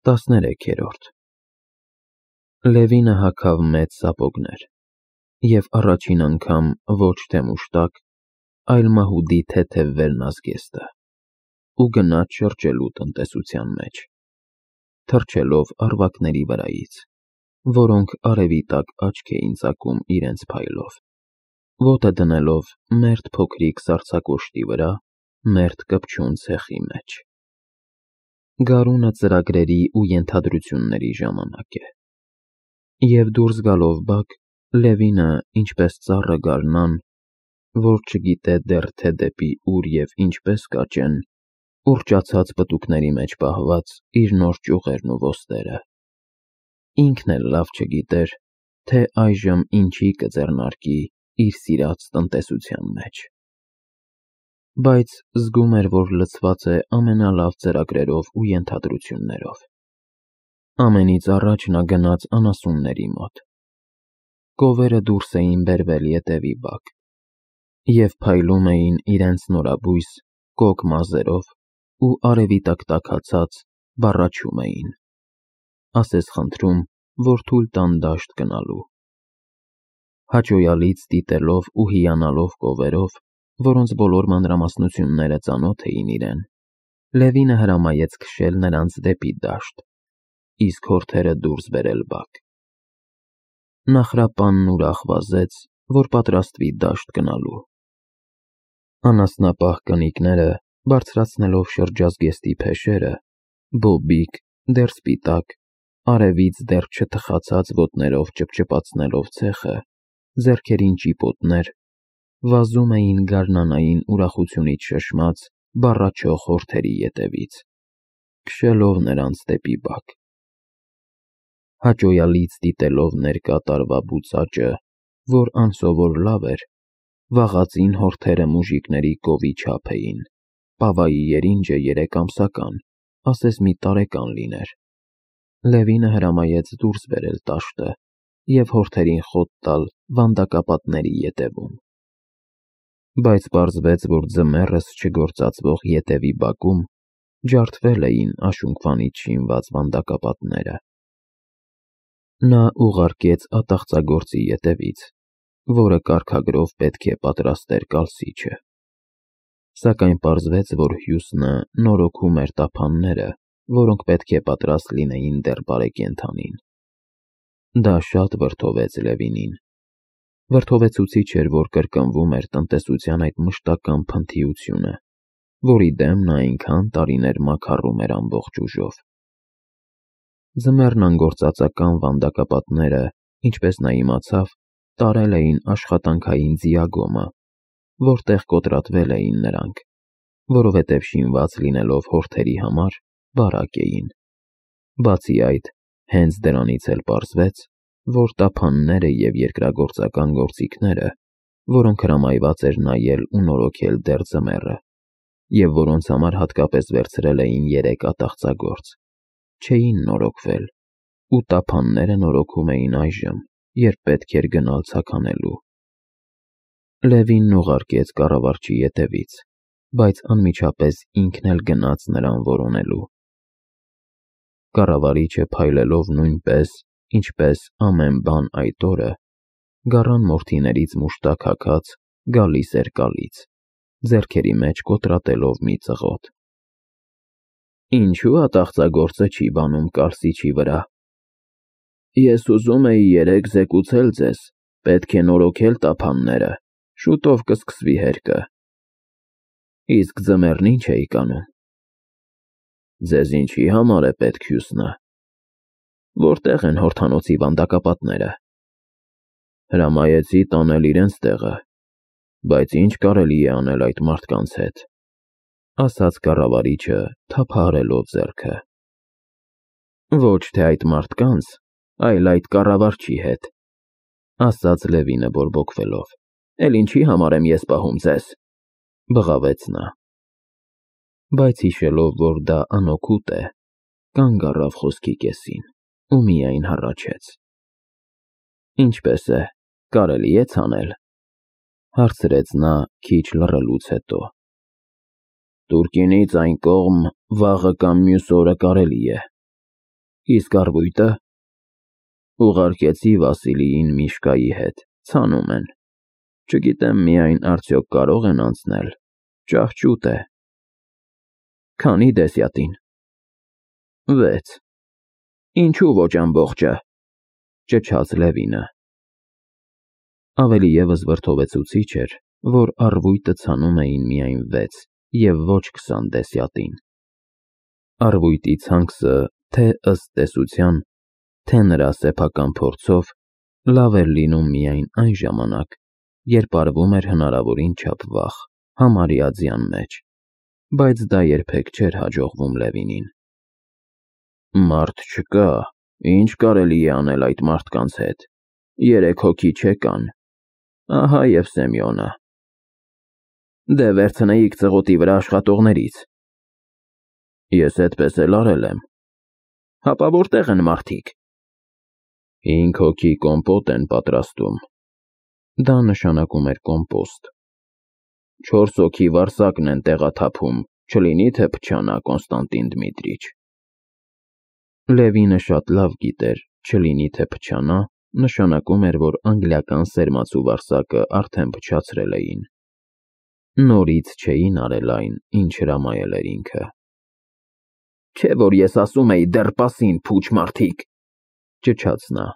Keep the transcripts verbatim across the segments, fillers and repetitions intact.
տասներեքերորդ Լևինը հագավ մեծ սապոգներ և առաջին անգամ ոչ թե մուշտակ, այլ մահուդի թեթև վերնազգեստը ու գնաց շրջելու տնտեսության մեջ, թռչելով առվակների վրայից, որոնք արևի տակ աչք էին ծակում իրենց փայլով, ոտը դնելով մերթ փոքրիկ սառցակոշտի վրա, մերթ կպչուն ցեխի մեջ։ Գարունը ծրագրերի ու ենթադրությունների ժամանակ է, և դուրս գալով բակ, Լևինը, ինչպես ծառը գարնան, որ չգիտե դեռ թե դեպի ուր և ինչպես կաճեն, ուռճացած պտուկների մեջ պահված իր նոր ճյուղերն ու ոստերը, ինքն էլ լավ չգիտեր, թե այժմ ինչի կձեռնարկի իր սիրած տնտեսության մեջ, բայց զգում էր, որ լցված է ամենալավ ծրագրերով ու ենթադրություններով։ Ամենից առաջ նա գնաց անասունների մոտ։ Կովերը դուրս էին բերվել ետևի բակ և փայլում էին իրենց նորաբույս, կոկ մազերով ու արևի տակ տաքացած բառաչում էին, ասես խնդրում, որ թույլ տան դաշտ գնալու։ Հաճոյալից դիտելով ու հիանալով կովերով, որոնց բոլոր մանրամասնությունները ծանոթ էին իրեն, Լևինը հրամայեց քշել նրանց դեպի դաշտ, իսկ հորթերը դուրս բերել բակ։ Նախրապանն ուրախ վազեց, որ պատրաստվի դաշտ գնալու։ Անասնապահ կնիկները, բարձրացնելով շրջազգեստի փեշերը, բոբիկ, դեռ սպիտակ, արևից դեռ չթխացած ոտներով ճպճպացնելով ցեխը, ձեռքերին ճիպոտներ, վազում էին գարնանային ուրախությունից շշմած բառաչող հորթերի ետևից, քշելով նրանց դեպի բակ։ Հաճոյալից դիտելով ներկա տարվա բուծաճը, որ անսովոր լավ էր, վաղածին հորթերը մուժիկների կովի չափ էին, պավայի երինջը երեք ամսական, ասես մի տարեկան լիներ, Լևինը հրամայեց դուրս բերել տաշտը և հորթերին խոտ տալ վանդակապատների ետևում։ Բայց պարզվեց, որ ձմեռս չգործածվող ետևի բակում ջարդվել էին աշունքվանից շինված վանդակապատները։ Նա ուղարկեց ատաղծագործի ետևից, որը կարգագրով պետք է պատրաստեր կալսիչը, սակայն պարզվեց, որ Հյուսնը նորոգում էր տափանները, որոնք պետք է պատրաստ լինեին դեռ բարեկենդանին։ Դա շատ վրդովեց Լևինին։ Վրդովեցուցիչ էր, որ կրկնվում էր տնտեսության այդ մշտական փնթիությունը, որի դեմ նա այնքան տարիներ մաքառում էր ամբողջ ուժով։ Ձմեռն անգործածական վանդակապատները, ինչպես նա իմացավ, տարել էին աշխատանքային ձիագոմը, որտեղ կոտրատվել էին նրանք, որովհետև շինված լինելով հորթերի համար, բարակ էին։ Բացի այդ, հենց դրանից էլ պարզվեց, որ տափանները և երկրագործական գործիքները, որոնք հրամայված էր նայել ու նորոգել դեռ ձմեռը, և որոնց համար հատկապես վերցրել էին երեք ատաղծագործ, չէին նորոգվել, ու տափանները նորոգում էին այժմ, երբ պետք էր գնալ ցաքանելու։ Լևինն ուղարկեց կառավարչի ետևից, բայց անմիջապես ինքն էլ գնաց նրան որոնելու։ Կառավարիչը փայլելով նույնպես, ինչպես ամեն բան այդ օրը, գառան մորթիներից մուշտակ հագած, գալիս էր կալից, ձեռքերի մեջ կոտրատելով մի ծղոտ։ Ինչու՞ ատաղծագործը չի բանում կալսիչի վրա։ Ես ուզում էի երեկ զեկուցել ձեզ, պետք է նորոգել տափանները, շուտով կսկսվի հերկը։ Իսկ ձմեռն ինչ էիք անում։ Ձեզ ինչի համար է պետք Հյուսնը։ Որտե՞ղ են հորթանոցի վանդակապատները։ Հրամայեցի տանել իրենց տեղը, բայց ինչ կարելի է անել այդ մարդկանց հետ, ասաց կառավարիչը, թափահարելով ձեռքը։ Ոչ թե այդ մարդկանց, այլ այդ կառավարչի հետ, ասաց Լևինը բորբոքվելով։ Էլ ինչի համար եմ ես պահում ձեզ, բղավեց նա։ Բայց հիշելով, որ դա անօգուտ է, կանգ առավ խոսքի կեսին ու միայն հառաչեց։ Ինչպե՞ս է, կարելի է ցանել, հարցրեց նա քիչ լռելուց հետո։ Տուրկինից այն կողմ վաղը կամ մյուս օրը կարելի է, Իսկ առվույտը։ Ուղարկեցի Վասիլիին Միշկայի հետ, ցանում են։ Չգիտեմ միայն արդյոք կարող են անցնել, ճահճուտ է։ Քանի դեսյատին։ Վեց։ Ինչու ոչ ամբողջը, ճչաց Լևինը։ Ավելի ևս վրդովեցուցիչ էր, որ առվույտը ցանում էին միայն վեց և ոչ քսան դեսյատին։ Առվույտի ցանքսը, թե ըստ տեսության, թե նրա սեփական փորձով, լավ էր լինում միայն այն ժամանակ, երբ արվում էր հնարավորին չափ վաղ, համարյա ձյան մեջ, բայց դա երբեք չէր հաջողվում Լևինին։ Մարդ չկա, ինչ կարելի է անել այդ մարդկանց հետ, երեք հոգի չեկան, ահա և Սեմյոնը։ Դե վերցնեիք ծղոտի վրա աշխատողներից։ Ես էդպես էլ արել եմ։ Հապա որտեղ են մարդիկ։ Հինգ հոգի կոմպոտ են պատրաստում։ Դա նշանակում էր կոմպոստ։ Չորս հոգի վարսակն են տեղաթափում, չլինի թե փչանա Կոնստանտին Դմիտրիչ։ Լևինը շատ լավ գիտեր, չլինի թե փչանա, նշանակում էր, որ անգլիական սերմացու վարսակը արդեն փչացրել էին։ Նորից չէին արել այն, ինչ հրամայել էր ինքը։ Չէ՞ որ ես ասում էի դեռ պասին փուչ մարդիկ, ճչաց նա։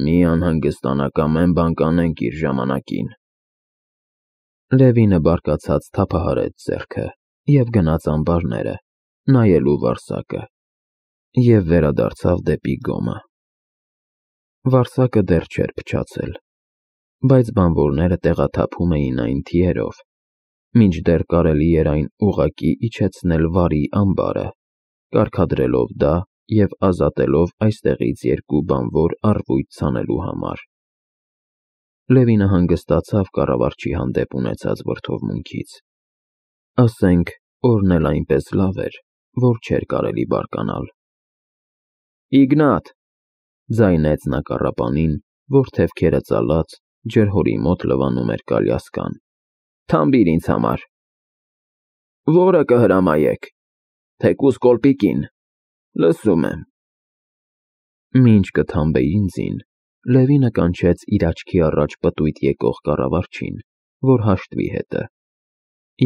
Մի անհանգստանա կամ են բան կանենք իր ժամանակին։ Լևինը բարկացած թափահարեց ձեռքը և գնաց ամբարները, նայելու վարսակը, և վերադարձավ դեպի գոմը։ Վարսակը դեռ չէր փչացել, բայց բանվորները տեղաթափում էին այն թիերով, մինչդեռ կարելի էր այն ուղղակի իջեցնել վարի ամբարը, կարգադրելով դա և ազատելով այստեղից երկու բանվոր առվույտ ցանելու համար։ Լևինը հանգստացավ կառավարչի հանդեպ ունեցած վրդովմունքից։ Ասենք, օրն էլ այնպես լավ էր, որ չէր կարելի բարկանալ։ Իգնատ, ձայնեց նա կառապանին, որ թևքերը ծալած, ջրհորի մոտ լվանում էր կալյասկան, թամբիր ինձ համար։ Որը կհրամայեք, թեկուզ կոլպիկին, լսում եմ։ Մինչ կթամբեին ձին, Լևինը կանչեց իր աչքի առաջ պտույտ եկող կառավարչին, որ հաշտվի հետը,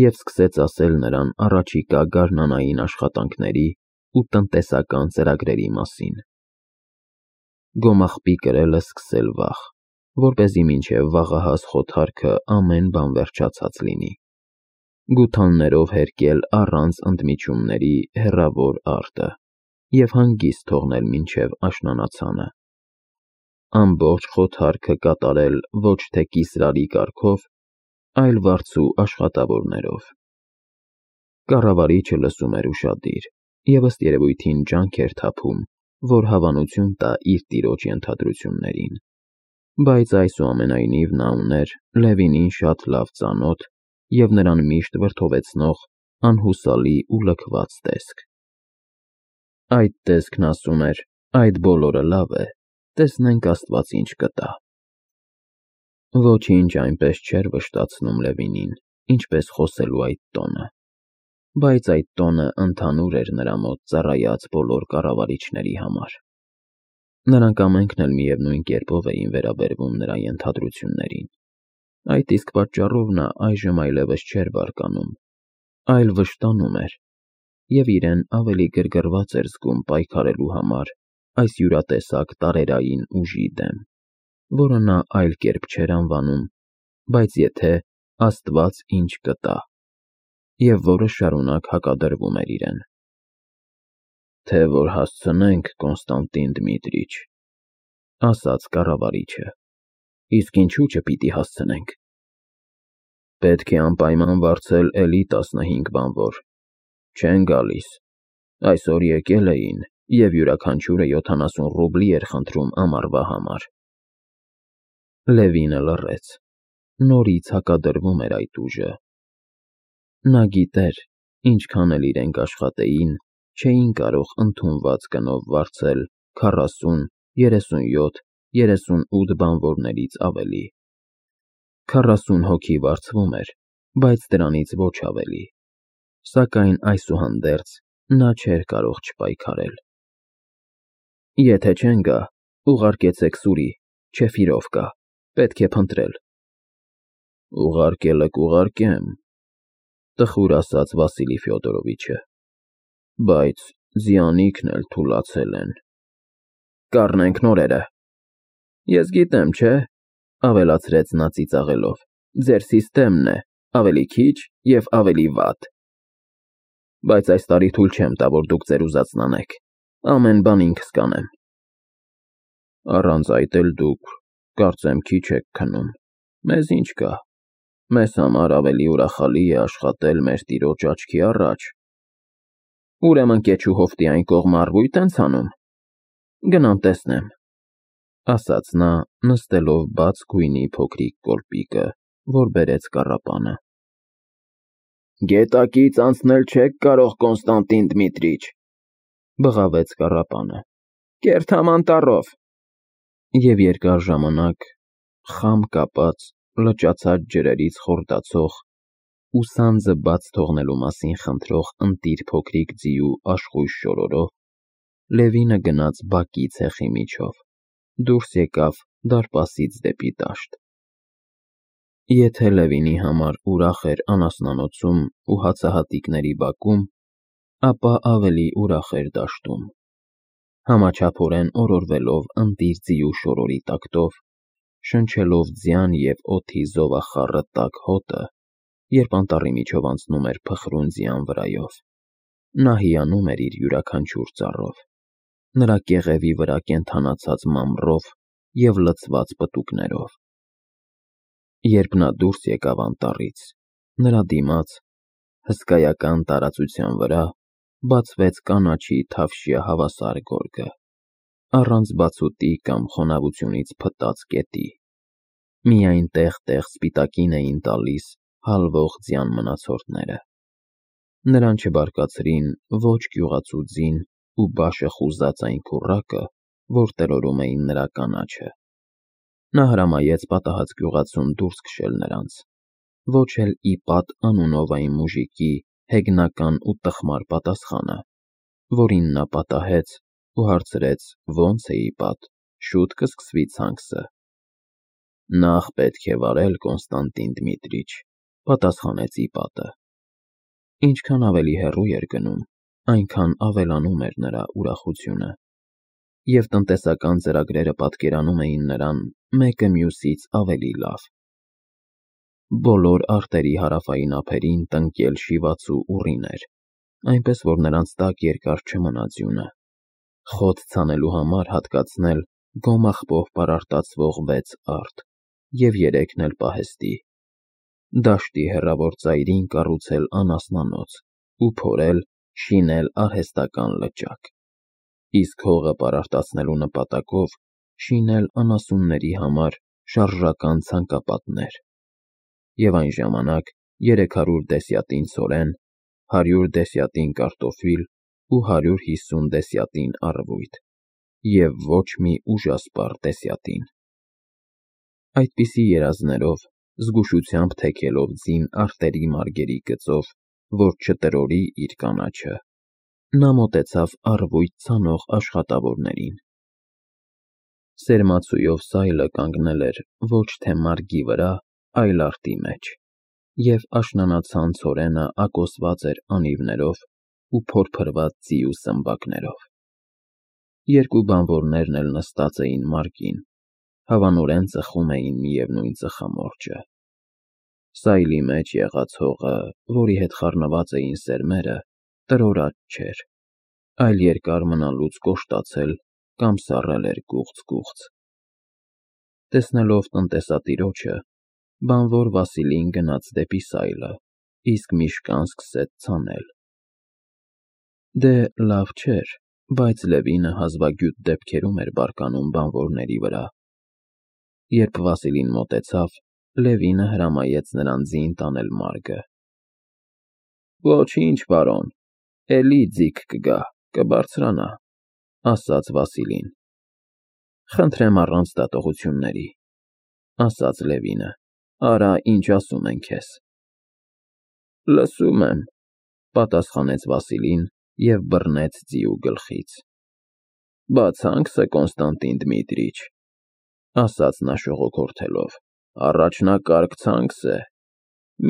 և սկսեց ասել նրան առաջիկա գարնանային աշխատանքների ու տնտեսական ծրագրերի մասին։ Գոմաղբի կրելը սկսել վաղ, որպեսզի մինչև վաղահաս խոթարքը ամեն բան վերջացած լինի, գութաններով հերկել առանց ընդմիջումների հեռավոր արտը և հանգիստ թողնել մինչև աշնանացանը, ամբողջ խոթարքը կատարել ոչ թե կիսրարի կարգով, այլ վարձու աշխատավորներով։ Կառավարիչը լսում էր ուշադիր և ըստ երևույթին ջանք էր թափում, որ հավանություն տա իր տիրոջ ենթադրություններին, բայց այսուամենայնիվ նա ուներ Լևինին շատ լավ ծանոթ և նրան միշտ վրդովեցնող անհուսալի ու լքված տեսք։ Այդ տեսքն ասում էր. այդ բոլորը լավ է, տեսնենք Աստված ինչ կտա։ Ոչինչ այնպես չէր վշտացնում Լևինին, ինչպես խոսելու այդ տոնը, բայց այդ տոնը ընդհանուր էր նրա մոտ ծառայած բոլոր կառավարիչների համար։ Նրանք ամենքն էլ միևնույն կերպով էին վերաբերվում նրա ենթադրություններին։ Այդ իսկ պատճառով նա այժմ այլևս չէր բարկանում, այլ վշտանում էր և իրեն ավելի գրգռված էր զգում պայքարելու համար այս յուրատեսակ տարերային ուժի դեմ, որը նա այլ կերպ չէր անվանում, բայց եթե Աստված ինչ կտա, և որը շարունակ հակադրվում էր իրեն։ Թե որ հասցնենք, Կոնստանտին Դմիտրիչ, ասաց կառավարիչը, իսկ ինչու չպիտի հասցնենք։ Պետք է անպայման վարձել էլի տասնհինգ բանվոր, չեն գալիս, այսօր եկել էին և յուրաքանչյուրը յոթանասուն ռուբլի էր խնդրում ամառվա համար։ Լևինը լռեց, նորից հակադրվում էր այդ ուժը։ Նա գիտեր, ինչքան էլ իրենք աշխատեին, չէին կարող ընդունված գնով վարձել քառասուն, երեսունյոթ, երեսունութ բանվորներից ավելի։ Քառասուն հոգի վարձվում էր, բայց դրանից ոչ ավելի, սակայն այսուհանդերձ նա չէր կարող չպայքարել։ Եթե չեն գա, ուղարկեցեք սուրի, Չեֆիրովկա, պետք է փնտրել։ Ուղարկելը կուղարկեմ, տխուր ասաց Վասիլի Ֆյոդորովիչը, բայց ձիանիքն էլ թուլացել են։ Կառնենք նորերը։ Ես գիտեմ, չէ, ավելացրեց նա ծիծաղելով, ձեր սիստեմն է, ավելի քիչ և ավելի վատ։ Բայց այս տարի թույլ չեմ տա, որ դուք ձեր ուզածն անեք, ամեն բան ինքս կանեմ։ Առանց այդ էլ դուք, կարծեմ, քիչ եք քնում, մեզ ինչ կա, մեզ համար ավելի ուրախալի է աշխատել մեր տիրոջ աչքի առաջ։ Ուրեմն կեչու հովտի այն կողմը առվույթ են ցանում։ Գնամ տեսնեմ, ասաց նա, նստելով բաց գույնի փոքրիկ կոլպիկը, որ բերեց կառապանը։ Գետակից անցնել չեք կարող, Կոնստանտին Դմիտրիչ, բղավեց կառապանը, կերթամ անտառով։ Եվ երկար ժամանակ, խամ կապած, լճացած ջրերից խորտացող ու սանձը բաց թողնելու մասին խնդրող ընտիր փոքրիկ ձիու աշխույժ շորորով, Լևինը գնաց բակի ցեխի միջով, դուրս եկավ դարպասից դեպի դաշտ։ Եթե Լևինի համար ուրախ էր անասնանոցում ու հացահատիկների բակում, ապա ավելի ուրախ էր դաշտում։ Համաչափորեն օրորվելով ընտիր ձիու շորորի տակտով, շնչելով ձյան և օդի զովախառը տաք հոտը, երբ անտառի միջով անցնում էր փխրուն ձյան վրայով, նա հիանում էր իր յուրաքանչյուր ծառով, նրա կեղևի վրա կենդանացած մամռով և լցված պտուկներով։ Երբ նա դուրս եկավ անտառից, նրա դիմաց, հսկայական տարածության վրա, բացվեց կանաչի թավշյա հավասար գորգը, առանց բացուտի կամ խոնավությունից փտած կետի, միայն տեղ-տեղ սպիտակին էին տալիս հալվող ձյան մնացորդները։ Նրան չբարկացրին ոչ գյուղացու ձին ու բաշը խուզած այն քուռակը, որ տրորում էին նրա կանաչը։ Նա հրամայեց պատահած գյուղացուն դուրս քշել նրանց, ոչ էլ ի պատ անունով այն մուժիկի հեգնական ու տխմար պատասխանը, որին նա պատահեց ու հարցրեց ոնց է ի պատ, շուտ կսկսվի ցանքսը։ Նախ պետք է վարել, Կոնստանտին Դմիտրիչ, պատասխանեց ի պատը։ Ինչքան ավելի հեռու էր գնում, այնքան ավելանում էր նրա ուրախությունը, և տնտեսական ծրագրերը պատկերանում էին նրան մեկը մյուսից ավելի լավ։ Բոլոր արտերի հարավային ափերին տնկել շիվացու ուռին էր, այնպես որ նրանց տակ երկար չմնա ձյունը, խոտ ցանելու համար հատկացնել գոմաղբով պարարտացվող վեց արտ և երեքն էլ պահեստի, դաշտի հեռավոր ծայրին կառուցել անասնանոց ու փորել, շինել արհեստական լճակ, իսկ հողը պարարտացնելու նպատակով շինել անասունների համար շարժական ցանկապատներ, և այն ժամանակ երեք հարյուր դեսյատին ցորեն, հարյուր դեսյատին կարտոֆիլ ու հարյուր հիսուն դեսյատին առվույթ, և ոչ մի ուժասպառ դեսյատին։ Այդպիսի երազներով, զգուշությամբ թեքելով ձին արտերի մարգերի գծով, որ չտրորի իր կանաչը, նա մոտեցավ առվույթ ցանող աշխատավորներին։ Սերմացուով սայլը կանգնել էր ոչ թե մարգի վրա, այլ արտի մեջ, և աշնանացան ցորենը ակոսված էր անիվներով ու փորփրված ձիու սմբակներով։ Երկու բանվորներն էլ նստած էին մարգին, հավանորեն ծխում էին միևնույն ծխամորճը։ Սայլի մեջ եղած հողը, որի հետ խառնված էին սերմերը, տրորած չէր, այլ երկար մնալուց կոշտացել կամ սառել էր գուղց֊գուղց։ Տեսնելով տնտեսատիրոջը, բանվոր Վասիլին գնաց դեպի սայլը, իսկ միշկան սկսեց ցանել։ Դե, լավ չէր, բայց Լևինը հազվագյուտ դեպքերում էր բարկանում բանվորների վրա։ Երբ Վասիլին մոտեցավ, Լևինը հրամայեց նրան ձին տանել մարգը։ Ոչինչ, պարոն, էլի ձիգ կգա, կբարձրանա, ասաց Վասիլին։ Խնդրեմ առանց դատողությունների, ասաց Լևինը, արա, ինչ ասում են քեզ։ Լսում եմ, պատասխանեց Վասիլին և բռնեց ձիու գլխից։ Բացանք սը, Կոնստանտին Դմիտրիչ, ասաց նա շողոքորթելով, առաջնակարգ ցանքս է,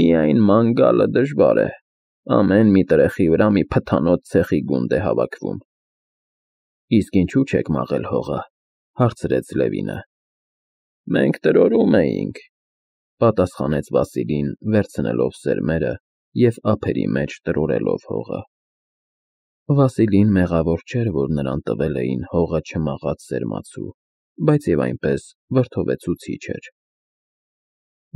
միայն ման գալը դժվար է, ամեն մի տրեխի վրա մի փթանոց ցեխի գունդ է հավաքվում։ Իսկ ինչու չեք մաղել հողը, հարցրեց Լևինը։ Մենք տրորում էինք, պատասխանեց Վասիլին, վերցնելով սերմերը և ափերի մեջ տրորելով հողը։ Վասիլին մեղավոր չէր, որ նրան տվել էին հողը չմաղած սերմացու, բայց և այնպես վրդովեցուցիչ էր։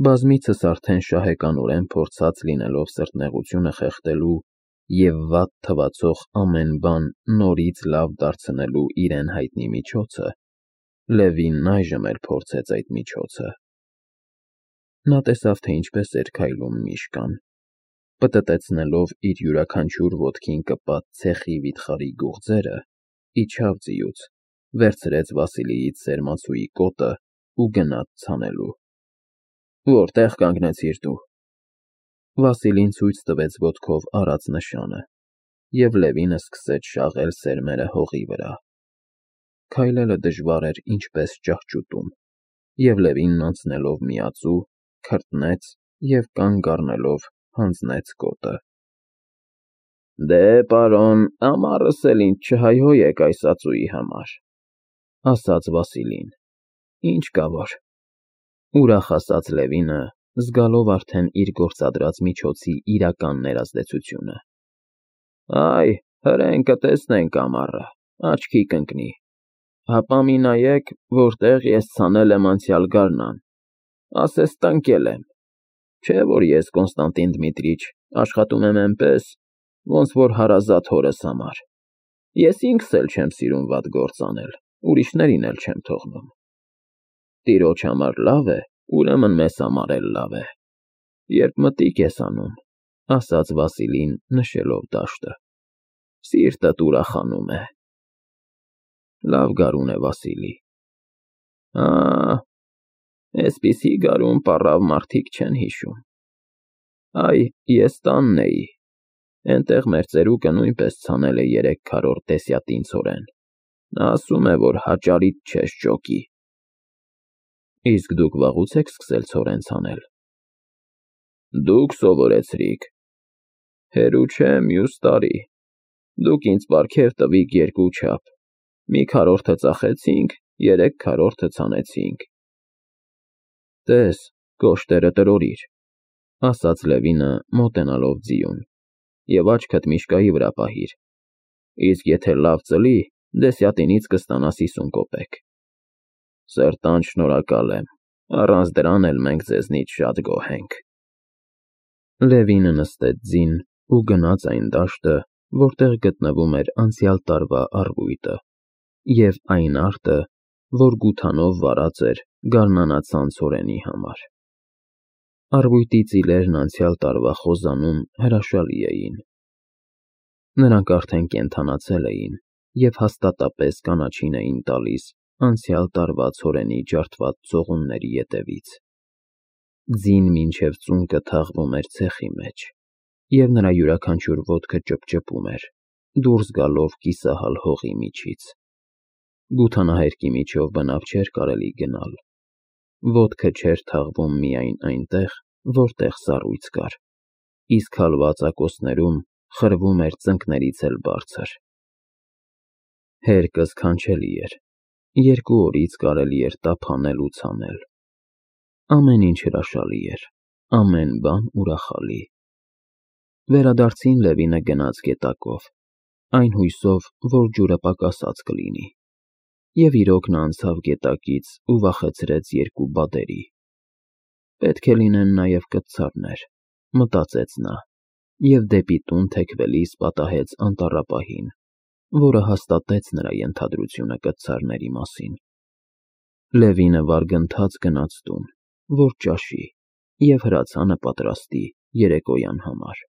Բազմիցս արդեն շահեկանորեն փորձած լինելով սրտնեղությունը խեղդելու և վատ թվացող ամեն բան նորից լավ դարձնելու իրեն հայտնի միջոցը, Լևինն այժմ էլ փորձեց այդ միջոցը։ Նա տեսավ, թե ինչպես էր քայլում Միշկան, պտտեցնելով իր յուրաքանչյուր ոտքին կպած ցեխի վիթխարի գուղձերը, իջավ ձիուց, վերցրեց Վասիլիից սերմացուի կոտն ու գնաց ցանելու։ Որտե՞ղ կանգնեցիր դու։ Վասիլին ցույց տվեց ոտքով արած նշանը, և Լևինը սկսեց շաղել սերմերը հողի վրա։ Քայլելը դժվար էր ինչպես ճահճուտում, և Լևինն անցնելով միածու, քրտնեց և կանգ առնելով հանձնեց կոտը։ Դե, պարոն, ամառս էլ ինձ չհայհոյեք այս ածուի համար, ասաց Վասիլին, ինչ կա որ։ Ուրախ ասաց Լևինը, զգալով արդեն իր գործադրած միջոցի իրական ներազդեցությունը։ Այ, հրեն կտեսնենք ամառը, աչքի կընկնի, հապա մի նայեք, որտեղ ես ցանել եմ անցյալ գարնան, ասես տնկել եմ, չէ՞ որ ես, Կոնստանտին Դմիտրիչ, աշխատում եմ էնպես, ոնց որ հարազատ հորս համար, ես ինքս էլ չեմ սիրում վատ գործ անել, ուրիշներին էլ չեմ թողնում։ Տիրոջ համար լավ է, ուրեմն մեզ համար էլ լավ է, երբ մտիկ ես անում, ասաց Վասիլին, նշելով դաշտը, սիրտդ ուրախանում է։ Լավ գարուն է, Վասիլի։ Ա, էսպիսի գարուն պառավ մարդիկ չեն հիշում։ Այ, ես տանն էի, էնտեղ մեր ծերուկը նույնպես ցանել է երեք քառորդ դեսյատին ցորեն, նա ասում է, որ հաճարիդ չես ճոկի։ Իսկ դուք վաղուց եք սկսել ցորեն ցանել։ Դուք սովորեցրիք։ Հերու չէ, մյուս տարի, դուք ինձ պարգև տվիք երկու չափ, մի քառորդը ծախեցինք, երեք քառորդը ցանեցինք։ Տես, կոշտերը տրորիր, ասաց Լևինը, մոտենալով ձիուն, և աչքդ Միշկայի վրա պահիր, իսկ եթե լավ ծլի, դեսյատինից կստանաս հիսուն կոպեկ։ Սրտանց շնորհակալ եմ, առանց դրան էլ մենք ձեզնից շատ գոհ ենք։ Լևինը նստեց ձին ու գնաց այն դաշտը, որտեղ գտնվում էր անցյալ տարվա առվույտը, և այն արտը, որ գութանով վառած էր գարնանացան ցորենի համար։ Առվույտի ծիլերն անցյալ տարվա խոզանում հրաշալի էին։ Նրանք արդեն կենդանացել էին և հաստատապես կանաչին էին տալիս անցյալ տարվա ցորենի ջարդված ծողունների ետևից։ Ձին մինչև ծունկը թաղվում էր ցեխի մեջ, և նրա յուրաքանչյուր ոտքը ճպճպում էր, դուրս գալով կիսահալ հողի միջից։ Գութանահերկի միջով բնավ չէր կարելի գնալ։ Ոտքը չէր թաղվում միայն այնտեղ, որտեղ սառույց կար, իսկ հալված ակոսներում խրվում էր ծնկներից էլ բարձր։ Հերկը սքանչելի էր, երկու օրից կարելի էր տափանել ու ցանել։ Ամեն ինչ հրաշալի էր, ամեն բան ուրախալի։ Վերադարձին Լևինը գնաց գետակով, այն հույսով, որ ջուրը պակասած կլինի, և իրոք նա անցավ գետակից ու վախեցրեց երկու բադերի։ Պետք է լինեն նաև կտցարներ, մտածեց նա, և դեպի տուն թեքվելիս պատահեց անտառապահին, որը հաստատեց նրա ենթադրությունը կտցարների մասին։ Լևինը վարգընթաց գնաց տուն, որ ճաշի և հրացանը պատրաստի երեկոյան համար։